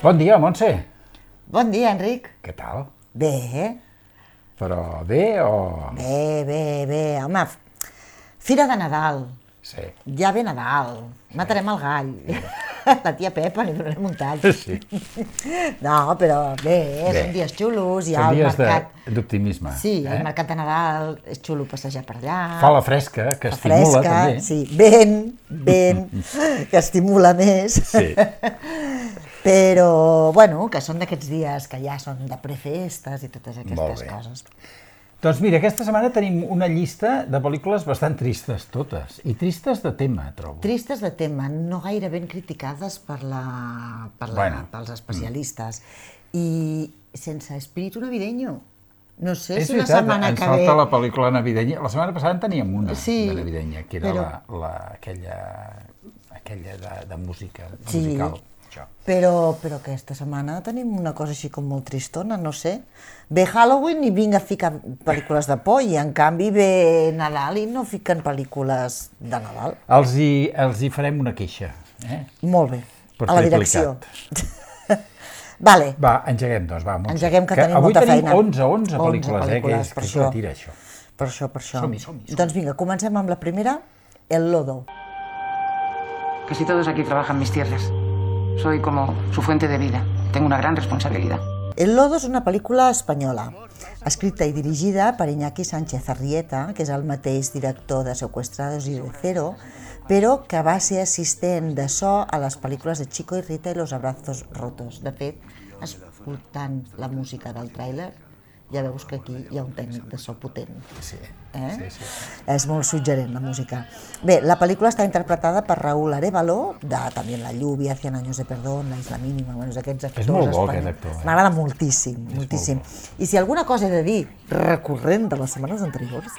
Bon dia, Montse. Bon dia, Enric. Què tal? Bé, Però bé o... bé. Home, fira de Nadal. Sí. Ja ve Nadal. Matarem el gall. La tia Pepa li donarem un tall. Sí. No, però bé, són dies xulos, hi ha Són el dies mercat. d'optimisme. Sí, el mercat de Nadal, és xulo passejar per allà. Fa la fresca, que estimula també. Sí, ben, que estimula més. Sí. Però, bueno, que són d'aquests dies que ja són de prefestes i totes aquestes coses. Doncs mira, aquesta setmana tenim una llista de pel·lícules bastant tristes, totes. I tristes de tema, trobo. Tristes de tema, no gaire ben criticades pels especialistes. I sense espíritu navideño. No sé si la setmana que ve... És veritat, ens falta la pel·lícula navidenya. La setmana passada en teníem una de navidenya, que era aquella de música, musical. Però aquesta setmana tenim una cosa així com molt tristona, no sé. Ve Halloween i vinc a ficar pel·lícules de por i en canvi ve Nadal i no fiquen pel·lícules de Nadal. Els hi farem una queixa. Molt bé, a la direcció. Vale. Va, engeguem, doncs, va. Engeguem, que tenim molta feina. Avui tenim 11 pel·lícules, que és la tira, això. Per això. Som-hi. Doncs vinga, comencem amb la primera, El Lodo. Casi todos aquí trabajan mis tierras. Soy como su fuente de vida. Tengo una gran responsabilidad. El Lodo és una pel·lícula espanyola, escrita i dirigida per Iñaki Sánchez Arrieta, que és el mateix director de Secuestrados y de Cero, però que va ser assistent de so a les pel·lícules de Chico y Rita i Los Abrazos Rotos. De fet, escoltant la música del tràiler, ja veus que aquí hi ha un tècnic de so potent. Sí. És molt suggerent, la música. Bé, la pel·lícula està interpretada per Raúl Arévalo, de també La lluvia, 100 años de perdón, La isla mínima, aquests actors. És molt bo, aquest actor. M'agrada moltíssim. I si alguna cosa he de dir recurrent de les setmanes anteriors,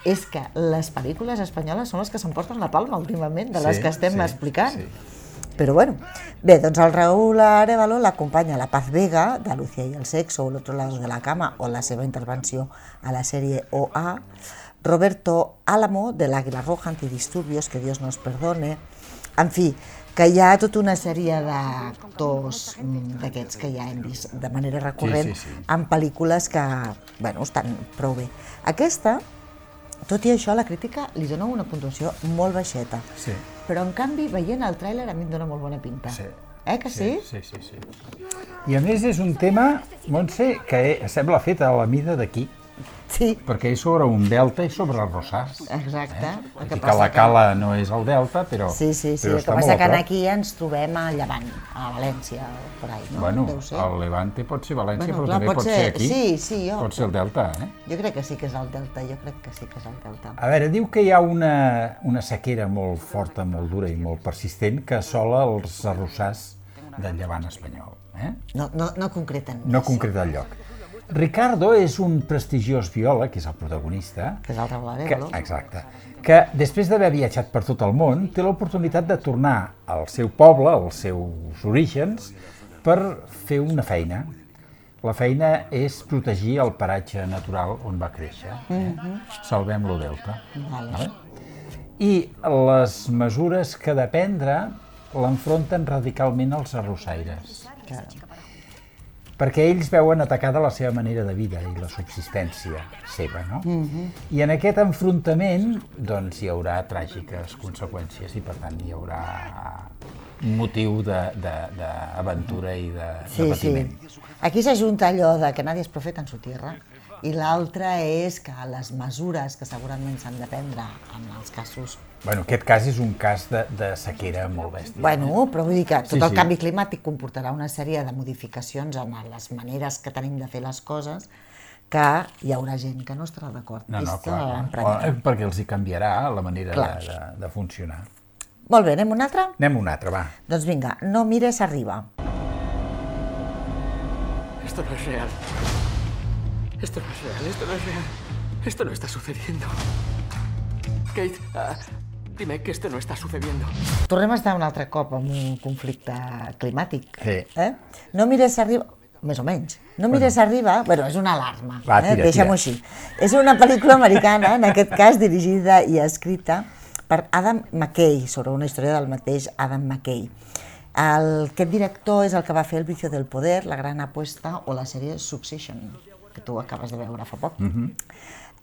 és que les pel·lícules espanyoles són les que s'emporten la palma últimament, de les que estem explicant. Però bueno, bé, doncs el Raúl Arévalo l'acompanya la Paz Vega, de Lucía y el sexo, o El otro lado de la cama, o la seva intervenció a la sèrie OA, Roberto Álamo, de l'Àguila Roja, Antidisturbios, que Dios nos perdone, en fi, que hi ha tota una sèrie d'actors d'aquests que ja hem vist de manera recurrent en pel·lícules que, bueno, estan prou bé. Aquesta, tot i això, la crítica li dona una puntuació molt baixeta. Sí. Però, en canvi, veient el tràiler a mi em dona molt bona pinta. Sí. Que sí? Sí. I a més és un tema, Montse, que sembla fet a la mida d'aquí. Sí. Perquè és sobre un delta i sobre el Rosàs. Exacte. Que la cala no és el delta, però Sí. però El que passa que aquí ens trobem a Llevant, a València, per ahí, no? Bueno, Deu ser. el Levante pot ser València, Bueno, però clar, també pot ser aquí. Sí, Pot ser el delta, Jo crec que sí que és el delta, A veure, diu que hi ha una sequera molt forta, molt dura i molt persistent que assola els arrossars del Llevant espanyol. No concreten més. No concreta el lloc. Ricardo és un prestigiós biòleg, que és el protagonista, Que és el Raúl Arévalo. Exacte, que després d'haver viatjat per tot el món té l'oportunitat de tornar al seu poble, als seus orígens, per fer una feina. La feina és protegir el paratge natural on va créixer. Salvem-lo delta. Vale. I les mesures que ha de prendre l'enfronten radicalment als arrossaires. Perquè ells veuen atacada la seva manera de vida i la subsistència seva, no? I en aquest enfrontament, doncs, hi haurà tràgiques conseqüències i, per tant, hi haurà un motiu d'aventura i de patiment. Aquí s'ajunta allò de que nadie es profeta en su tierra i l'altre és que les mesures que segurament s'han de prendre en els casos... Bueno, aquest cas és un cas de sequera molt bèstia. Bueno, però vull dir que tot el canvi climàtic comportarà una sèrie de modificacions en les maneres que tenim de fer les coses que hi haurà gent que no estarà d'acord. No, clar, perquè els hi canviarà la manera de funcionar. Molt bé, anem a un altre? Anem a un altre, va. Doncs vinga, No mires arriba. Esto no es real. Esto no es real. Esto no está sucediendo. Kate, dime que esto no está sucediendo. Tornem a estar un altre cop en un conflicte climàtic. Sí. No mires arriba... Més o menys. No mires arriba... Bueno, és una alarma. Va, tira. Deixem-ho així. És una pel·lícula americana, en aquest cas dirigida i escrita per Adam McKay, sobre una història del mateix Adam McKay. Aquest director és el que va fer El vicio del poder, La gran apuesta o la sèrie Succession, que tu acabes de veure fa poc.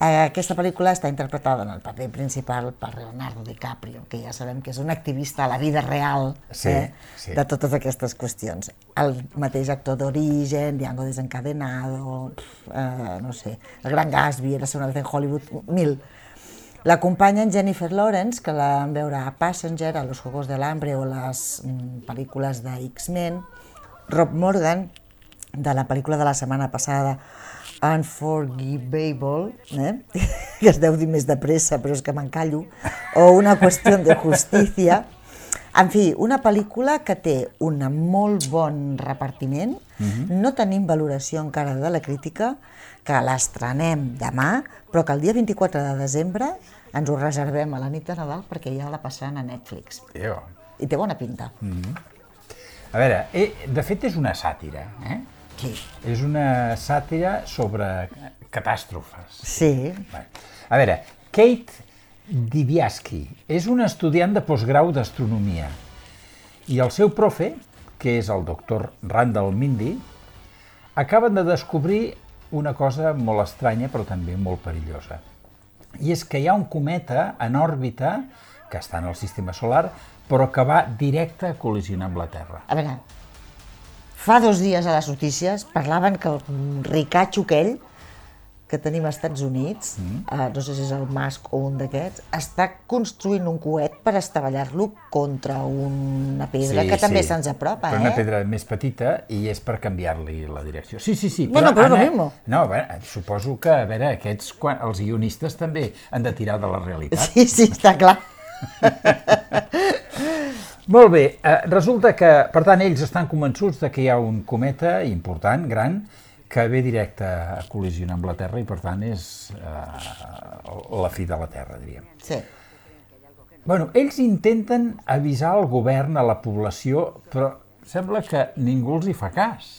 Aquesta pel·lícula està interpretada en el paper principal per Leonardo DiCaprio, que ja sabem que és un activista a la vida real de totes aquestes qüestions. El mateix actor d'Origen, Django desencadenado, no sé, El gran Gatsby, Érase una vez en Hollywood, 1000. L'acompanyen Jennifer Lawrence, que la vam veure a Passenger, a Los Juegos del Hambre o les pel·lícules de X-Men, Rob Morgan, de la pel·lícula de la setmana passada, Unforgivable, que es deu dir més de pressa, però és que m'encallo, o Una qüestió de justícia. En fi, una pel·lícula que té un molt bon repartiment, no tenim valoració encara de la crítica, que l'estrenem demà, però que el dia 24 de desembre ens ho reservem a la nit de Nadal perquè ja la passaran a Netflix. I té bona pinta. A veure, de fet és una sàtira, Sí. És una sàtira sobre catàstrofes. Sí. A veure, Kate Dibiasky és una estudiant de postgrau d'astronomia i el seu profe, que és el doctor Randall Mindy, acaben de descobrir una cosa molt estranya però també molt perillosa. I és que hi ha un cometa en òrbita que està en el sistema solar però que va directe a col·lisionar amb la Terra. A veure, fa 2 dies a les notícies parlaven que el ricatxo aquell que tenim als Estats Units, no sé si és el Musk o un d'aquests, està construint un coet per estavellar-lo contra una pedra que també se'ns apropa, però una pedra més petita i és per canviar-li la direcció. Sí. Bueno, però és lo mismo. No, suposo que, a veure, aquests, els guionistes també han de tirar de la realitat. Sí, està clar. Molt bé, resulta que, per tant, ells estan convençuts de que hi ha un cometa important, gran, que ve directe a col·lisionar amb la Terra i, per tant, és la fi de la Terra, diríem. Sí. Bueno, ells intenten avisar el govern, a la població, però sembla que ningú els hi fa cas.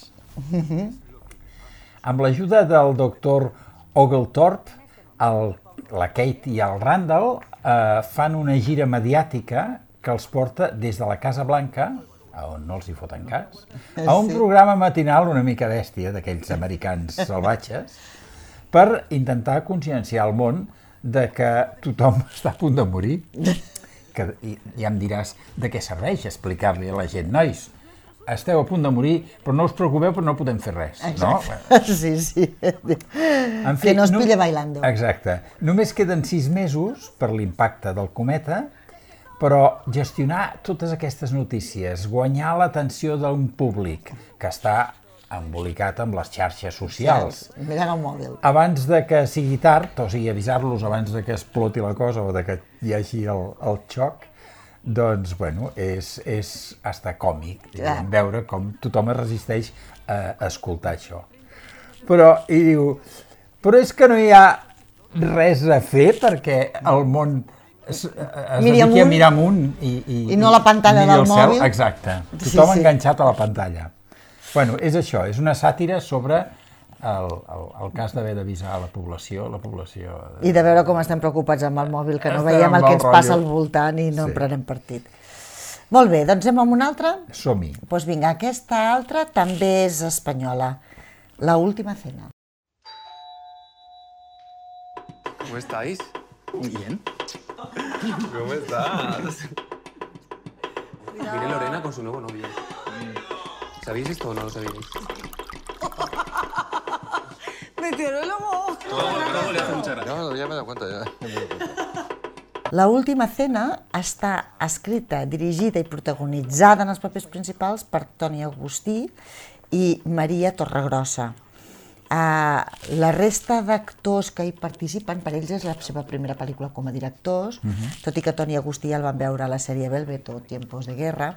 Amb l'ajuda del doctor Oglethorpe, la Kate i el Randall fan una gira mediàtica que els porta des de la Casa Blanca, on no els hi foten cas, a un programa matinal una mica bèstia, d'aquells americans salvatges, per intentar conscienciar el món de que tothom està a punt de morir. Que ja em diràs de què serveix explicar-li a la gent, nois, esteu a punt de morir, però no us preocupeu, però no podem fer res. Exacte. No? Sí. En fi, que no es pille bailando. Exacte. Només queden 6 mesos per l'impacte del cometa, però gestionar totes aquestes notícies, guanyar l'atenció d'un públic que està embolicat amb les xarxes socials. Mirant el mòbil. Abans de que sigui tard, o sigui, avisar-los abans de que exploti la cosa o de que hi hagi el xoc, doncs, bueno, és hasta còmic veure com tothom es resisteix a escoltar això. Però, i diu, però és que no hi ha res a fer perquè el món es dediqui a mirar amunt i no la pantalla del mòbil. Exacte, tothom enganxat a la pantalla. Bueno, és això, és una sàtira sobre el cas d'haver d'avisar a la població. I de veure com estem preocupats amb el mòbil, que no veiem el que ens passa al voltant i no en prenem partit. Molt bé, doncs anem amb una altra? Som-hi. Doncs vinga, aquesta altra també és espanyola. La última cena. ¿Cómo estáis? Bien. ¿Cómo estás? Viene Lorena con su nuevo novio. ¿Sabéis esto o no lo sabíais? Meteorólogo. Todo le hace mucha gracia. No, ya me he dado cuenta, ya. La última cena està escrita, dirigida i protagonitzada en els papers principals per Toni Agustí i Maria Torregrossa. La resta d'actors que hi participen, per ells és la seva primera pel·lícula com a directors, tot i que Toni Agustí el van veure a la sèrie Velvet o Tiempos de Guerra,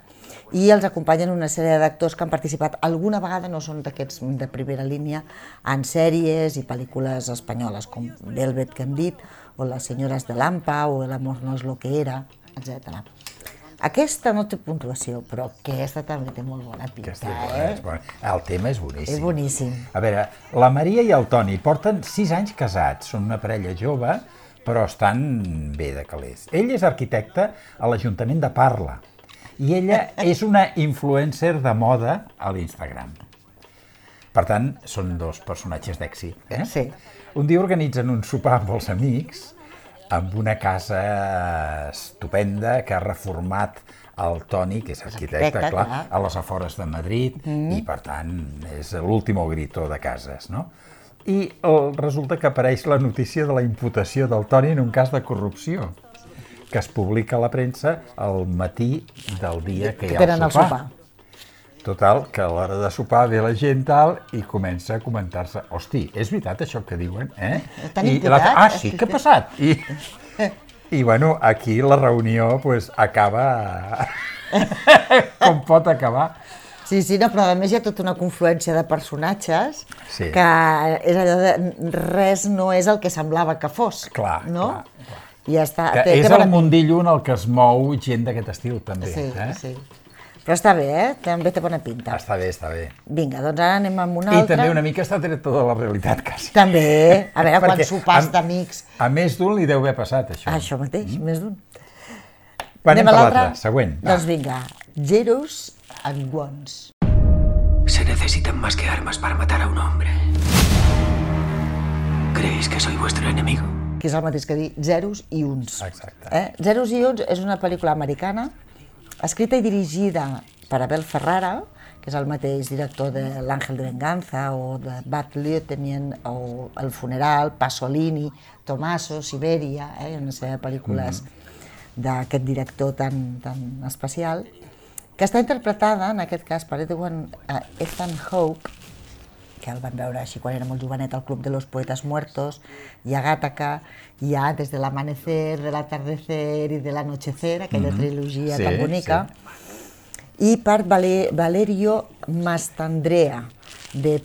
i els acompanyen una sèrie d'actors que han participat alguna vegada, no són d'aquests de primera línia, en sèries i pel·lícules espanyoles, com Velvet, que hem dit, o Las señoras de Lampa, o El amor no es lo que era, etc. Aquesta no té puntuació, però aquesta també té molt bona pinta, El tema és boníssim. És boníssim. A veure, la Maria i el Toni porten 6 anys casats, són una parella jove, però estan bé de calés. Ell és arquitecte a l'Ajuntament de Parla I ella és una influencer de moda a l'Instagram. Per tant, són dos personatges d'èxit. Sí. Un dia organitzen un sopar amb els amics amb una casa estupenda que ha reformat el Toni, que és arquitecte, clar, a les afores de Madrid, i per tant és l'último grito de cases, no? I resulta que apareix la notícia de la imputació del Toni en un cas de corrupció, que es publica a la premsa al matí del dia que hi ha el sopar. Total, que a l'hora de sopar ve la gent tal i comença a comentar-se, hosti, és veritat això que diuen, eh? Sí, què ha passat? I bueno, aquí la reunió pues, acaba com pot acabar. Sí, no, però a més hi ha tota una confluència de personatges que és allò de res no és el que semblava que fos. Clar. I ja està. Que és el mundillo en el que es mou gent d'aquest estil, també. Sí. Però està bé, també té bona pinta. Està bé. Vinga, doncs ara anem amb una altra. I també una mica està tret de la realitat, quasi. També, a veure, quan sopars d'amics... A més d'un li deu haver passat, això. Això mateix, més d'un. Anem per l'altra, següent. Doncs vinga, Zeros and Ones. Se necesitan más que armas para matar a un hombre. ¿Creéis que soy vuestro enemigo? Que és el mateix que dir zeros i uns. Exacte. Zeros i uns és una pel·lícula americana escrita i dirigida per Abel Ferrara, que és el mateix director de L'Ángel de Venganza o de Bad Lieutenant o El Funeral, Pasolini, Tommaso, Siberia, una sèrie de pel·lícules d'aquest director tan especial, que està interpretada, en aquest cas, per Ethan Hawke, que el van veure així quan era molt jovenet al Club de los Poetas Muertos, i a Gattaca, i a Desde el Amanecer, del Atardecer i de l'Anochecer, aquella trilogia tan bonica, i per Valerio Mastandrea, de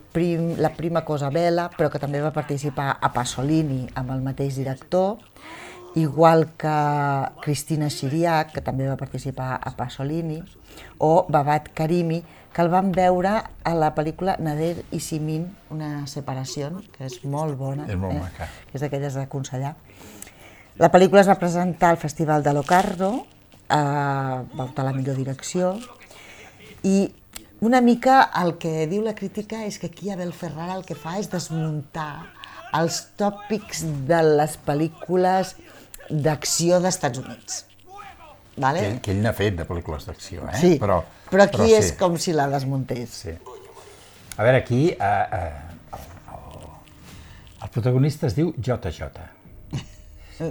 La prima cosa bella, però que també va participar a Pasolini amb el mateix director, igual que Cristina Chiriac, que també va participar a Pasolini, o Babak Karimi, que el vam veure a la pel·lícula Nader i Simin, una separació, que és molt bona. És molt maca. Que és d'aquelles d'aconsellar. La pel·lícula es va presentar al Festival de Locarno, va optar la millor direcció, i una mica el que diu la crítica és que aquí Abel Ferrara el que fa és desmuntar els tòpics de les pel·lícules d'acció dels Estats Units. Que ell n'ha fet de pel·lícules d'acció, eh? Sí, però aquí és com si la desmuntés. Sí. A veure, aquí el protagonista es diu JJ.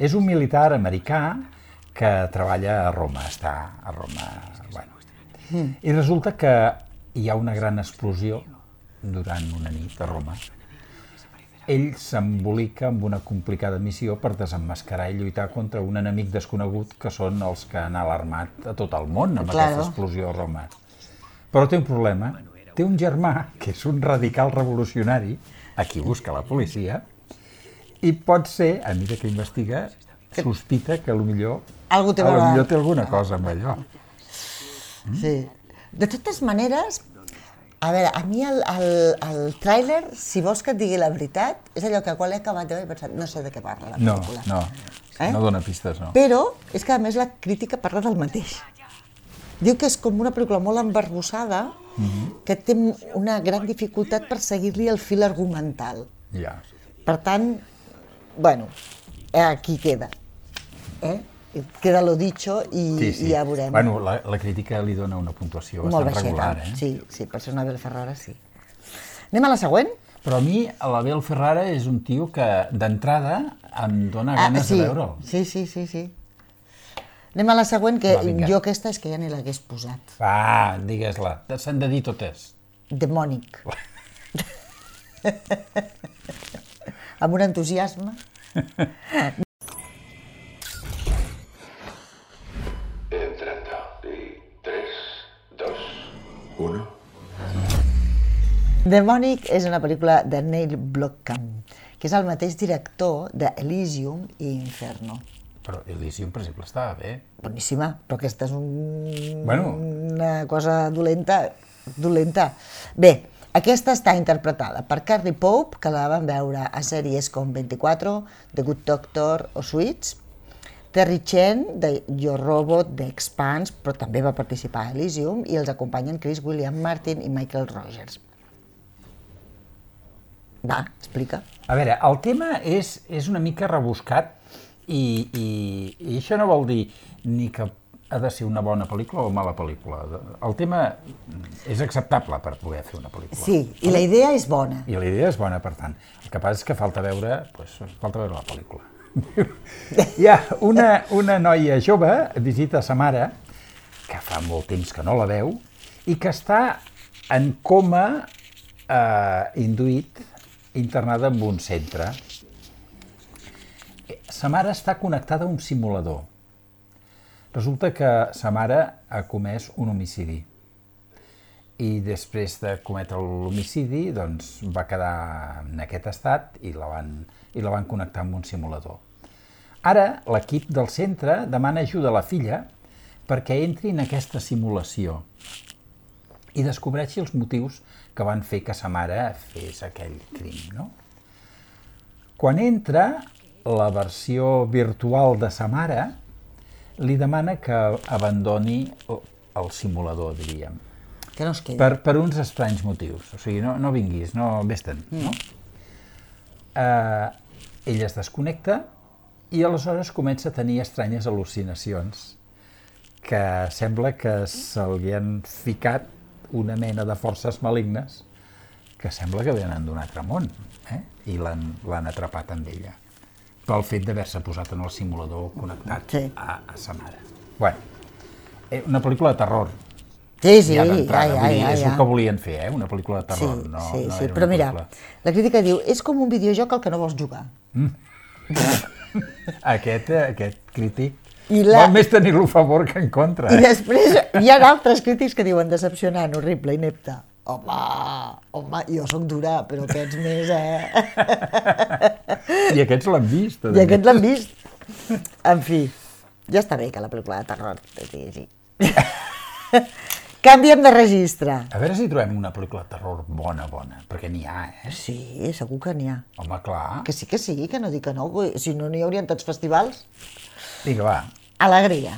És un militar americà que treballa a Roma, està a Roma, bueno. I resulta que hi ha una gran explosió durant una nit a Roma. Ell s'embolica amb una complicada missió per desemmascarar i lluitar contra un enemic desconegut que són els que han alarmat a tot el món amb aquesta explosió a Roma. Però té un problema. Té un germà, que és un radical revolucionari, a qui busca la policia, i pot ser, a mesura que investiga, sospita que potser té alguna cosa amb allò. Sí. De totes maneres, a veure, a mi el tràiler, si vols que et digui la veritat, és allò que quan l'he acabat de veure he pensat, no sé de què parla la pel·lícula. No dona pistes, no. Però és que a més la crítica parla del mateix. Diu que és com una pel·lícula molt embarbussada, que té una gran dificultat per seguir-li el fil argumental. Per tant, bueno, aquí queda. Queda lo dicho i ja veurem. Bueno, la crítica li dona una puntuació bastant regular, eh? Sí, per ser una Abel Ferrara, sí. Anem a la següent? Però a mi, l'Abel Ferrara és un tio que, d'entrada, em dona ganes de veure'l. Sí. Anem a la següent, que jo aquesta és que ja ni l'hagués posat. Va, digues-la. S'han de dir totes. Demònic. Amb un entusiasme. Demònic és una pel·lícula de Neil Blomkamp, que és el mateix director d'Elysium i Inferno. Però Elysium, per exemple, estava bé. Boníssima, però aquesta és una cosa dolenta. Bé, aquesta està interpretada per Carrie Pope, que la vam veure a sèries com 24, The Good Doctor o Suits, Terry Chen, de Yo Robot, d'Expanse, però també va participar a Elysium, i els acompanyen Chris William Martin i Michael Rogers. Va, explica. A veure, el tema és una mica rebuscat i això no vol dir ni que ha de ser una bona pel·lícula o mala pel·lícula. El tema és acceptable per poder fer una pel·lícula. Sí, i la idea és bona. I la idea és bona, per tant. El que passa és que falta veure la pel·lícula. Hi ha una noia jove, visita sa mare, que fa molt temps que no la veu, i que està en coma induït, internada en un centre. Sa mare està connectada a un simulador. Resulta que sa mare ha comès un homicidi i després de cometre l'homicidi doncs, va quedar en aquest estat i la van connectar amb un simulador. Ara l'equip del centre demana ajuda a la filla perquè entri en aquesta simulació i descobreixi els motius que van fer que sa mare fes aquell crim. No? Quan entra, la versió virtual de sa mare li demana que abandoni el simulador, diríem. Que no es quedi. Per uns estranys motius. O sigui, no vinguis, no vés-te'n. No? Ella es desconnecta i aleshores comença a tenir estranyes al·lucinacions que sembla que se li han ficat una mena de forces malignes que sembla que venen d'un altre món, i l'han atrapat amb ella pel fet d'haver-se posat en el simulador connectat a sa mare. Bueno, una pel·lícula de terror. Sí, ja. És el que volien fer, una pel·lícula de terror. Sí, però mira, la crítica diu, és com un videojoc al que no vols jugar. Aquest crític vol més tenir-lo a favor que en contra. I després hi ha altres crítics que diuen decepcionant, horrible, inepte. Home, jo soc dura, però aquests més, I aquests l'han vist. I aquests l'han vist. En fi, ja està bé que la pel·lícula de terror. Sí. Canviem de registre. A veure si trobem una pel·lícula de terror bona, perquè n'hi ha, Sí, segur que n'hi ha. Home, clar. Que sí, que no dic que no, si no n'hi haurien tots festivals. Vinga, va. Alegria.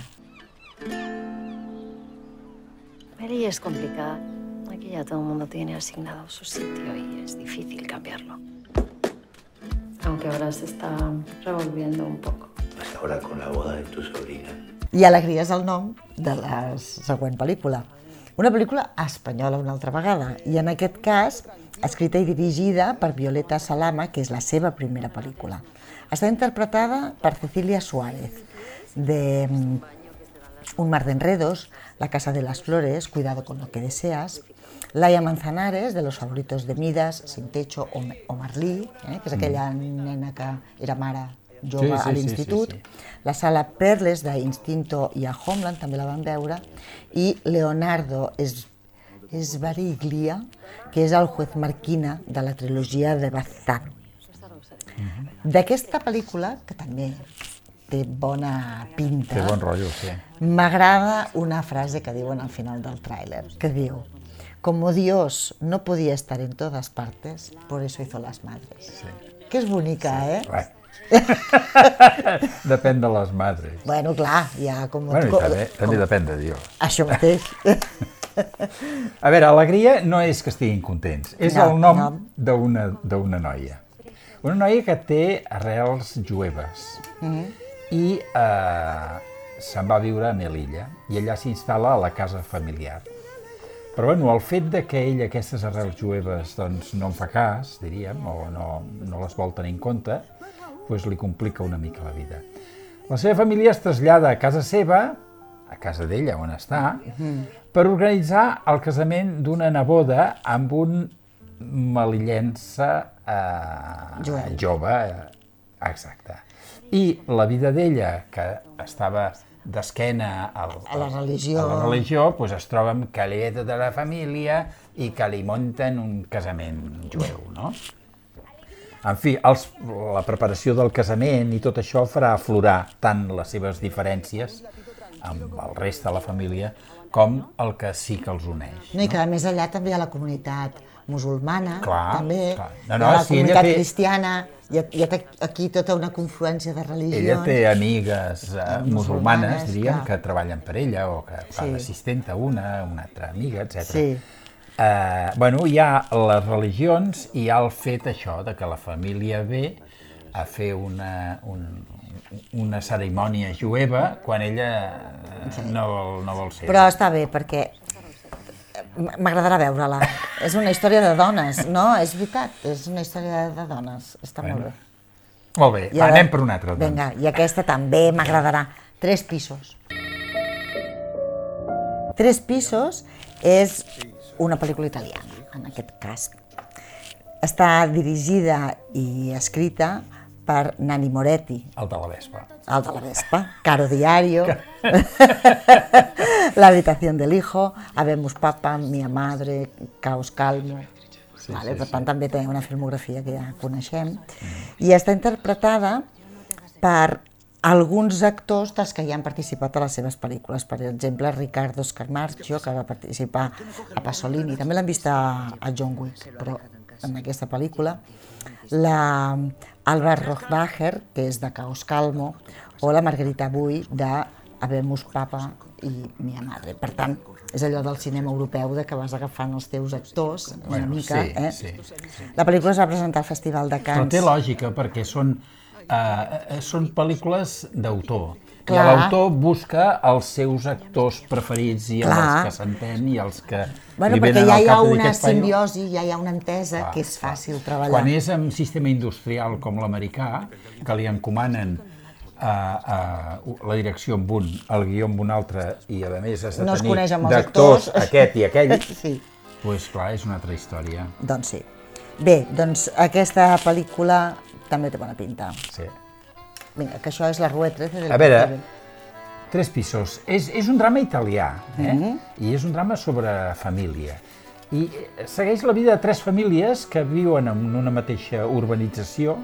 Mary es complicada. Aquí ya todo el mundo tiene asignado su sitio y es difícil cambiarlo. Aunque ahora se está revolviendo un poco. Hasta ahora con la boda de tu sobrina. I Alegria és el nom de la següent pel·lícula. Una pel·lícula espanyola una altra vegada, i en aquest cas escrita i dirigida per Violeta Salama, que és la seva primera pel·lícula. Està interpretada per Cecilia Suárez, de Un mar de enredos, La casa de las flores, Cuidado con lo que deseas, Laia Manzanares, de Los favoritos de Midas, Sin techo o Marlí, que és aquella nena que era mare jove a l'institut, la Sala Perles d'Instinto i a Homeland, també la van veure, i Leonardo Sbaraglia, que és el juez Marquina de la trilogia de Bazán. D'aquesta pel·lícula, que també té bona pinta, té bon rotllo, sí. M'agrada una frase que diuen al final del tràiler, que diu: como Dios no podía estar en todas partes, por eso hizo las madres. Sí. Que és bonica, Depèn de les madres. Bueno, clar, ja com... Bueno, i també depèn de Dios. Això mateix. A veure, Alegria no és que estiguin contents, és el nom d'una noia. Una noia que té arrels jueves i se'n va viure a Melilla i allà s'instal·la a la casa familiar. Però bueno, el fet de que ell aquestes arrels jueves doncs, no en fa cas, diríem, o no les vol tenir en compte, doncs li complica una mica la vida. La seva família es trasllada a casa seva, a casa d'ella on està, per organitzar el casament d'una neboda amb un melillense jove. Exacte. I la vida d'ella, que estava d'esquena a la religió, doncs es troba amb que li ve tota la família i que li munten un casament jueu, no? En fi, la preparació del casament i tot això farà aflorar tant les seves diferències amb el reste de la família, com el que sí que els uneix. No, i que a més allà també hi ha la comunitat musulmana, també, la comunitat cristiana, hi ha aquí tota una confluència de religions. Ella té amigues musulmanes, diríem, que treballen per ella, o que fa d'assistenta una altra amiga, etc. Bueno, hi ha les religions i hi ha el fet això, de que la família ve a fer una cerimònia jueva quan ella no vol ser. Però està bé, perquè m'agradarà veure-la. És una història de dones, no? És veritat, és una història de dones. Està molt bé. Molt bé, anem per una altra. Vinga, i aquesta també m'agradarà. 3 pisos. 3 pisos és una pel·lícula italiana, en aquest cas. Està dirigida i escrita per Nanni Moretti. El de la Vespa. El de la Vespa, Caro Diario, La habitación del hijo, Habemos Papa, Mia Madre, Caos Calmo. Per tant, també té una filmografia que ja coneixem. I està interpretada per alguns actors dels que ja han participat a les seves pel·lícules. Per exemple, Riccardo Scamarcio, que va participar a Pasolini. També l'hem vist a John Wick, però en aquesta pel·lícula. La Alba Rohrwacher, que és de Caos Calmo, o la Margherita Bui de Habemos Papa i Mia Madre. Per tant, és allò del cinema europeu de que vas agafant els teus actors una mica. La pel·lícula es va presentar al Festival de Cannes. Però té lògica, perquè són pel·lícules d'autor. I l'autor busca els seus actors preferits i els que s'entén i els que li venen al cap de dir perquè ja hi ha una simbiosi, ja hi ha una entesa que és fàcil treballar. Quan és en sistema industrial com l'americà, que li encomanen la direcció amb un, el guió amb un altre, i a més has de tenir d'actors aquest i aquell, doncs clar, és una altra història. Doncs sí. Bé, doncs aquesta pel·lícula també té bona pinta. Sí. Vinga, que això és la Rue 13 del... A veure, 3 pisos. És un drama italià, i és un drama sobre família. I segueix la vida de 3 famílies que viuen en una mateixa urbanització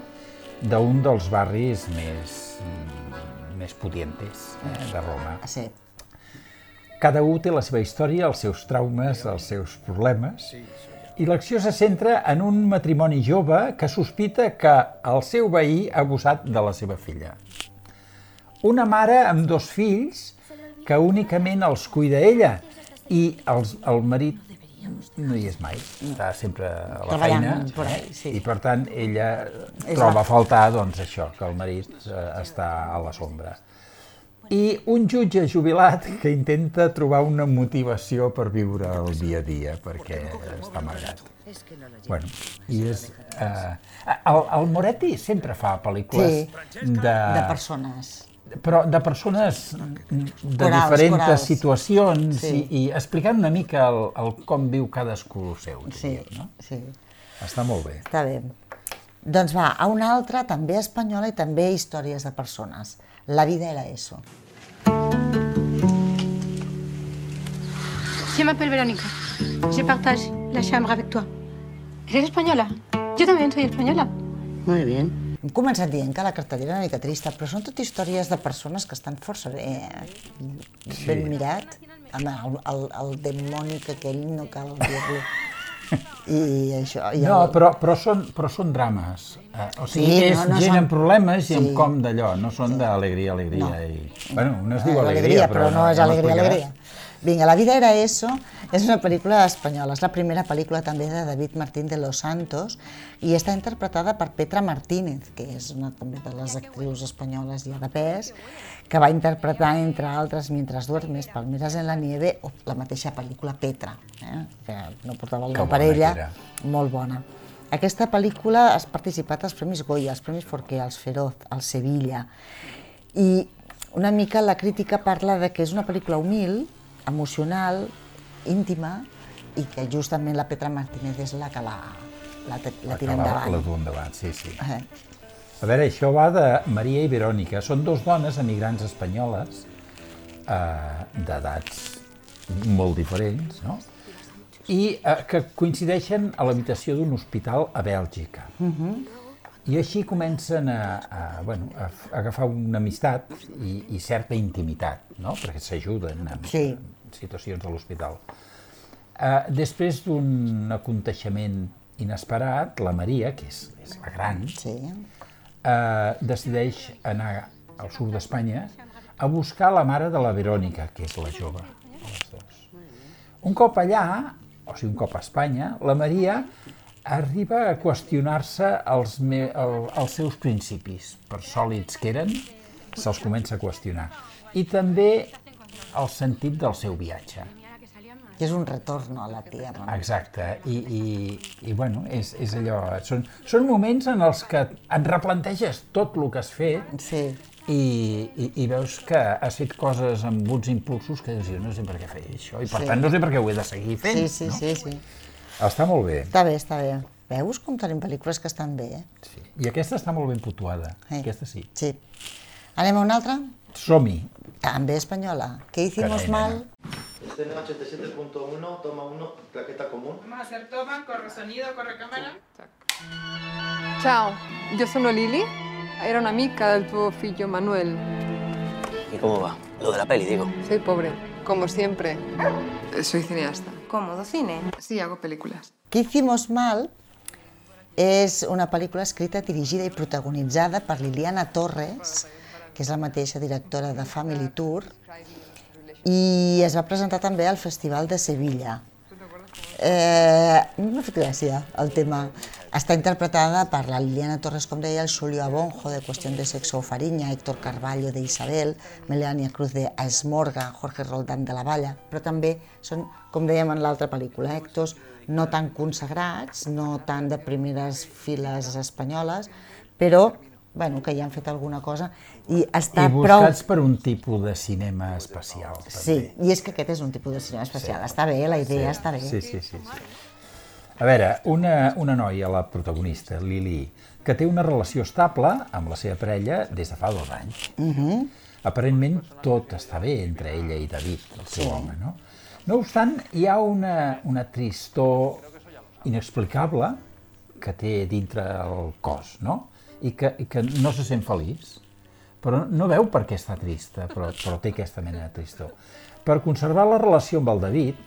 d'un dels barris més pudientes de Roma. Sí. Cada un té la seva història, els seus traumes, els seus problemes, i l'acció se centra en un matrimoni jove que sospita que el seu veí ha abusat de la seva filla. Una mare amb 2 fills que únicament els cuida ella i el marit no hi és mai, està sempre a la feina i per tant ella troba a faltar doncs això, que el marit està a la sombra. I un jutge jubilat que intenta trobar una motivació per viure el dia a dia, perquè està amargat. Bueno, i és... El Moretti sempre fa pel·lícules de persones. Però de persones de diferents situacions i explicant una mica com viu cadascú seu. Sí. Està molt bé. Està bé. Doncs va, a una altra, també espanyola i també històries de persones. La vida era eso. Je m'appelle Verónica. Je partage la chambre avec toi. ¿Eres española? Yo también soy española. Muy bien. Hem començat dient que la cartellera era una mica trista, però són tot històries de persones que estan força ben mirat. El demònic aquell no cal dir-li. No, però són drames. O sigui, és gent amb problemes i amb com d'allò, no són d'alegria. Bueno, no es diu alegria, però no és alegria. Vinga, La vida era eso és una pel·lícula espanyola, és la primera pel·lícula també de David Martín de los Santos i està interpretada per Petra Martínez, que és una també de les actrius espanyoles ja de pes, que va interpretar, entre altres, Mientras duermes, Palmeras en la nieve, o la mateixa pel·lícula Petra, que no portava el nom per ella, molt bona. Aquesta pel·lícula ha participat als Premis Goya, als Premis Forqué, als Feroz, al Sevilla, i una mica la crítica parla de que és una pel·lícula humil, emocional, íntima, i que justament la Petra Martínez és la que la tira endavant. La du endavant, sí. A veure, això va de Maria i Verònica. Són 2 dones emigrants espanyoles d'edats molt diferents, no? I que coincideixen a l'habitació d'un hospital a Bèlgica. I així comencen a agafar una amistat i certa intimitat, no? Perquè s'ajuden en situacions a l'hospital. Després d'un aconteixement inesperat, la Maria, que és la gran, decideix anar al sud d'Espanya a buscar la mare de la Verònica, que és la jove, les dues. Un cop allà, o sigui, un cop a Espanya, la Maria arriba a qüestionar-se els seus principis, per sòlids que eren, se'ls comença a qüestionar. I també el sentit del seu viatge. Que és un retorn a la tia. Exacte, i bueno, és allò, són moments en els que et replanteges tot el que has fet i veus que has fet coses amb uns impulsos que dius, no sé per què feia això, i per tant no sé per què ho he de seguir fent. Sí. Està molt bé. Està bé. Veus com tenim pel·lícules que estan bé, Sí, i aquesta està molt ben puntuada, aquesta sí. Sí. Anem a una altra? Som-hi. També espanyola. ¿Qué hicimos mal? Escena 87.1, toma 1, claqueta común. Vamos a hacer toma, corre sonido, corre cámara. Ciao, yo sono Lili. Era una amica del tuo figlio Manuel. ¿Y cómo va? Lo de la peli, digo. Soy pobre, como siempre. Soy cineasta. ¿Cómodo cine? Sí, hago películas. ¿Qué hicimos mal? És una pel·lícula escrita, dirigida i protagonitzada per Liliana Torres, que és la mateixa directora de Family Tour, i es va presentar també al Festival de Sevilla. M'ha fet gràcia el tema. Està interpretada per la Liliana Torres, com deia, el Xulio Abonjo, de Cuestión de Sexo o Fariña, Héctor Carballo, de Isabel, Melania Cruz, de Esmorga, Jorge Roldán, de La Valla, però també són, com dèiem en l'altra pel·lícula, actors no tan consagrats, no tan de primeres files espanyoles, però que hi han fet alguna cosa i està prou... I buscats per un tipus de cinema especial. Sí, i és que aquest és un tipus de cinema especial. Està bé, la idea està bé. Sí. A veure, una noia, la protagonista, Lili, que té una relació estable amb la seva parella des de fa 2 anys. Aparentment tot està bé entre ella i David, el seu home, no? No obstant, hi ha una tristor inexplicable que té dintre el cos, no? I que no se sent feliç, però no veu per què està trista, però té aquesta mena de tristor. Per conservar la relació amb el David,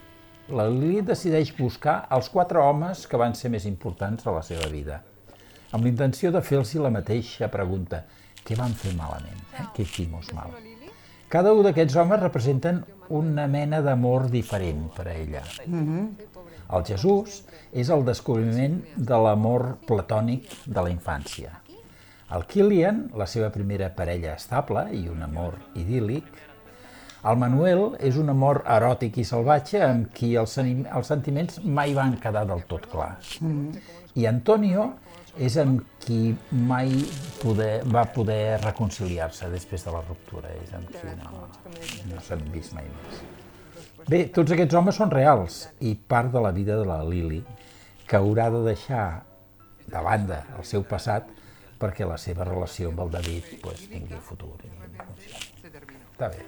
la Lili decideix buscar els 4 homes que van ser més importants a la seva vida, amb la intenció de fer-los la mateixa pregunta: què van fer malament? Què hicimos mal? Cada un d'aquests homes representen una mena d'amor diferent per a ella. El Jesús és el descobriment de l'amor platònic de la infància. El Kilian, la seva primera parella estable i un amor idíl·lic. El Manuel és un amor eròtic i salvatge amb qui els sentiments mai van quedar del tot clars. I Antonio és amb qui mai va poder reconciliar-se després de la ruptura, és amb qui no s'han vist mai més. Bé, tots aquests homes són reals i part de la vida de la Lili, que haurà de deixar de banda el seu passat perquè la seva relació amb el David tingui futur. Està bé.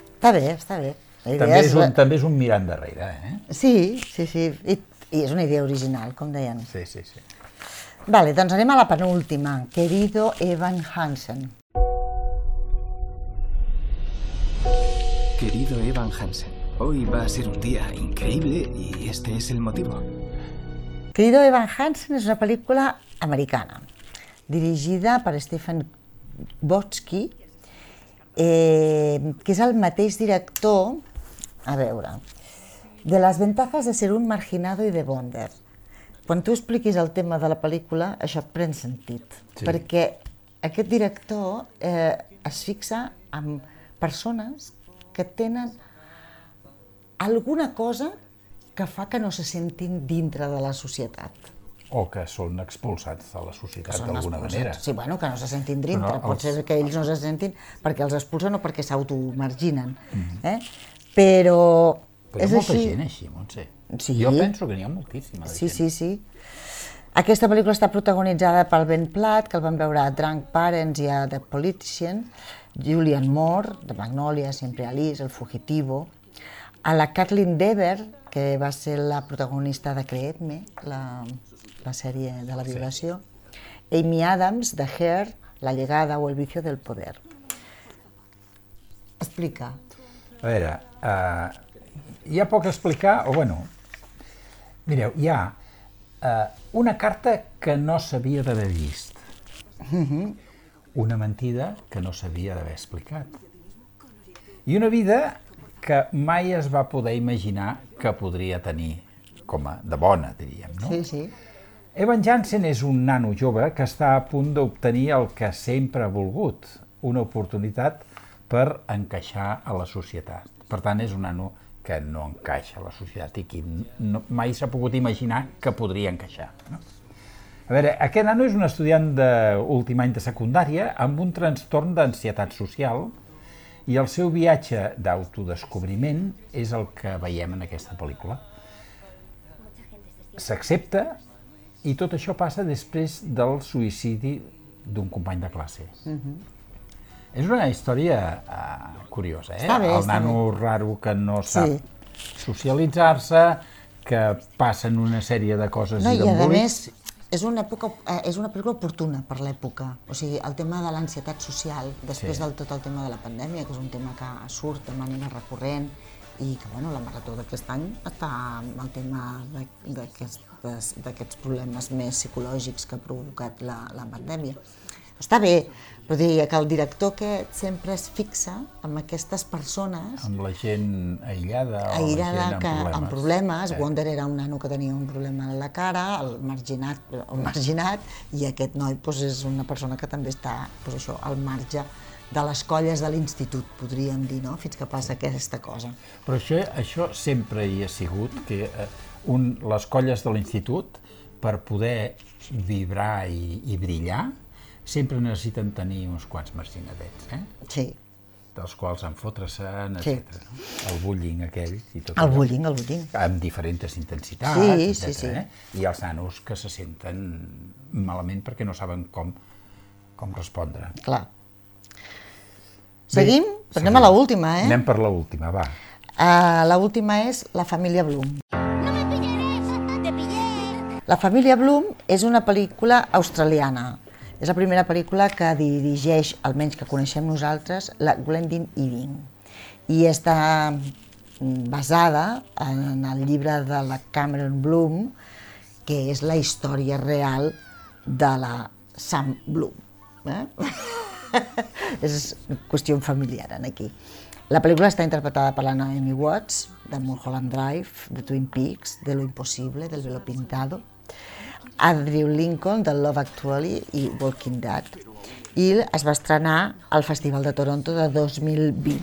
Està bé. També és un mirar endarrere, Sí, i és una idea original, com deien. Sí. Vale, doncs anem a la penúltima. Querido Evan Hansen. Querido Evan Hansen, hoy va a ser un día increíble y este es el motivo. Querido Evan Hansen és una pel·lícula americana, dirigida per Stephen Bochco, que és el mateix director, a veure, de Las ventajas de ser un marginado i de Bonder. Quan tu expliquis el tema de la pel·lícula, això pren sentit, perquè aquest director es fixa en persones que tenen alguna cosa que fa que no se sentin dintre de la societat. O que són expulsats de la societat d'alguna manera. Sí, bueno, que no se sentin dintre. Pot ser que ells no se sentin perquè els expulsen o perquè s'automarginen. Però és així. Molta gent així, Montse. Jo penso que n'hi ha moltíssima. Sí. Aquesta pel·lícula està protagonitzada pel Ben Platt, que el vam veure a Drunk Parents i a The Politician, Julianne Moore, de Magnolia, Siempre Alice, El Fugitivo, a la Kathleen Dever, que va ser la protagonista de Creedme, la sèrie de la violació, Amy Adams, de Hair, La llegada o el vicio del poder. Explica. A veure, hi ha poc a explicar, o bueno, mireu, hi ha una carta que no s'havia d'haver vist, una mentida que no s'havia d'haver explicat, i una vida que mai es va poder imaginar que podria tenir, com a de bona, diríem, no? Sí, sí. Evan Jansen és un nano jove que està a punt d'obtenir el que sempre ha volgut, una oportunitat per encaixar a la societat. Per tant, és un nano que no encaixa a la societat i que mai s'ha pogut imaginar que podria encaixar. No? A veure, aquest nano és un estudiant d'últim any de secundària amb un trastorn d'ansietat social i el seu viatge d'autodescobriment és el que veiem en aquesta pel·lícula. S'accepta i tot això passa després del suïcidi d'un company de classe. És una història curiosa, eh? Està bé, el nano raro que no sap socialitzar-se, que passen una sèrie de coses i d'embolics. I a més, és una pel·lícula oportuna per l'època. O sigui, el tema de l'ansietat social, després del tot el tema de la pandèmia, que és un tema que surt de manera recurrent, i que la Marató d'aquest any està amb el tema d'aquests problemes més psicològics que ha provocat la pandèmia. Està bé, però diria que el director aquest sempre es fixa en aquestes persones... Amb la gent aïllada o la gent amb problemes. Wonder era un nano que tenia un problema a la cara, el marginat, i aquest noi és una persona que també està al marge de les colles de l'institut, podríem dir, fins que passa aquesta cosa. Però això sempre hi ha sigut, que les colles de l'institut, per poder vibrar i brillar, sempre necessiten tenir uns quants marginadets, Sí. dels quals enfotre-se'n, etc. El bullying aquell i tot allò. El bullying. Amb diferents intensitats, etc. I els nanos que se senten malament perquè no saben com respondre. Clar. Seguim? Però anem a l'última, Anem per l'última, va. L'última és La família Bloom. La família Bloom és una pel·lícula australiana. És la primera pel·lícula que dirigeix, almenys que coneixem nosaltres, la Glendin Irving. I està basada en el llibre de la Cameron Bloom, que és la història real de la Sam Bloom. És qüestió familiar aquí. La pel·lícula està interpretada per la Naomi Watts, de Mulholland Drive, de Twin Peaks, de Lo Imposible, del Velo Pintado, Andrew Lincoln, de Love Actually i Walking Dead. I es va estrenar al Festival de Toronto de 2020.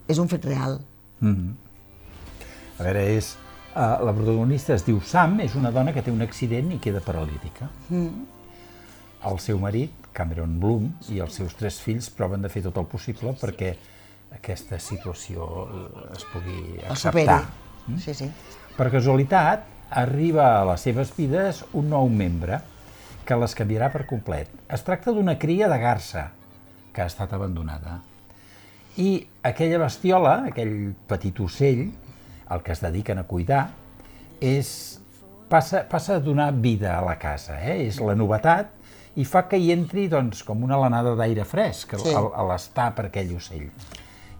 És un fet real. A veure, la protagonista es diu Sam, és una dona que té un accident i queda paralítica. El seu marit, Cameron Bloom, i els seus 3 fills proven de fer tot el possible perquè aquesta situació es pugui acceptar. Sí. Per casualitat, arriba a les seves vides un nou membre que les canviarà per complet. Es tracta d'una cria de garsa que ha estat abandonada. I aquella bestiola, aquell petit ocell, el que es dediquen a cuidar, passa a donar vida a la casa. És la novetat i fa que hi entri com una alenada d'aire fresc a l'estar per aquell ocell.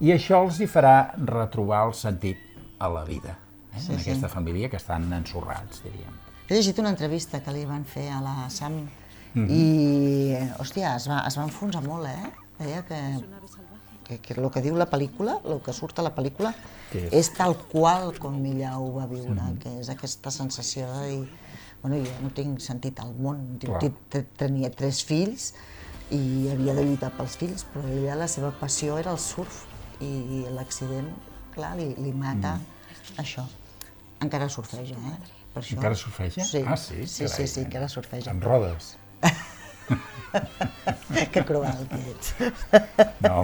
I això els hi farà retrobar el sentit a la vida, en aquesta família que estan ensorrats, diríem. He llegit una entrevista que li van fer a la Sam i, hòstia, es va enfonsar molt, Deia que el que diu la pel·lícula, el que surt a la pel·lícula, és tal qual com ella ho va viure, que és aquesta sensació de dir, bueno, jo no tinc sentit al món, tenia 3 fills i havia de lluitar pels fills, però ella, la seva passió era el surf i l'accident, clar, li mata això. Encara surfeja, per això. Encara surfeja? Sí. Ah, sí? Sí, encara surfeja. Amb rodes? Que cruel que ets. No.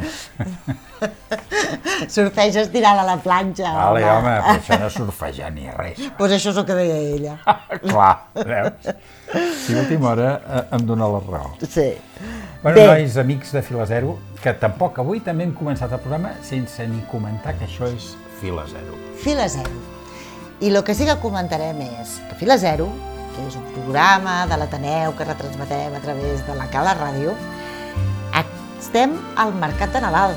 Surfeges tirant a la planxa. Vale, home, però això no surfejar ni res. Doncs això és el que deia ella. Clar, veus? Si a última hora em dóna la raó. Sí. Bueno, nois, amics de Fila Zero, que tampoc avui també hem començat el programa sense ni comentar que això és Fila Zero. Fila Zero. I el que sí que comentarem és que Fila Zero, que és un programa de l'Ateneu que retransmetem a través de la Cala Ràdio. Estem al Mercat de Nadal,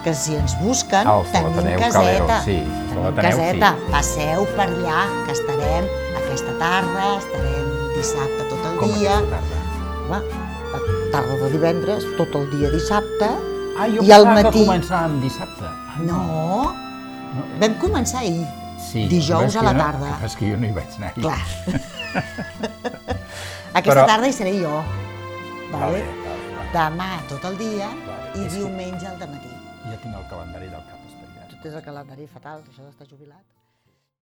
que si ens busquen tenim caseta. Tenim caseta, passeu per allà, que estarem aquesta tarda, estarem dissabte tot el dia. Com aquesta tarda? La tarda de divendres, tot el dia dissabte, jo i al pensava matí... que començàvem dissabte. No, vam començar ahir, dijous a la tarda. És que jo no hi vaig anar ahir. Clar. Aquesta tarda hi seré jo. Demà tot el dia i diumenge al dematí. Ja tinc el calendari del cap espatllat. Tu tens el calendari fatal, això d'estar jubilat.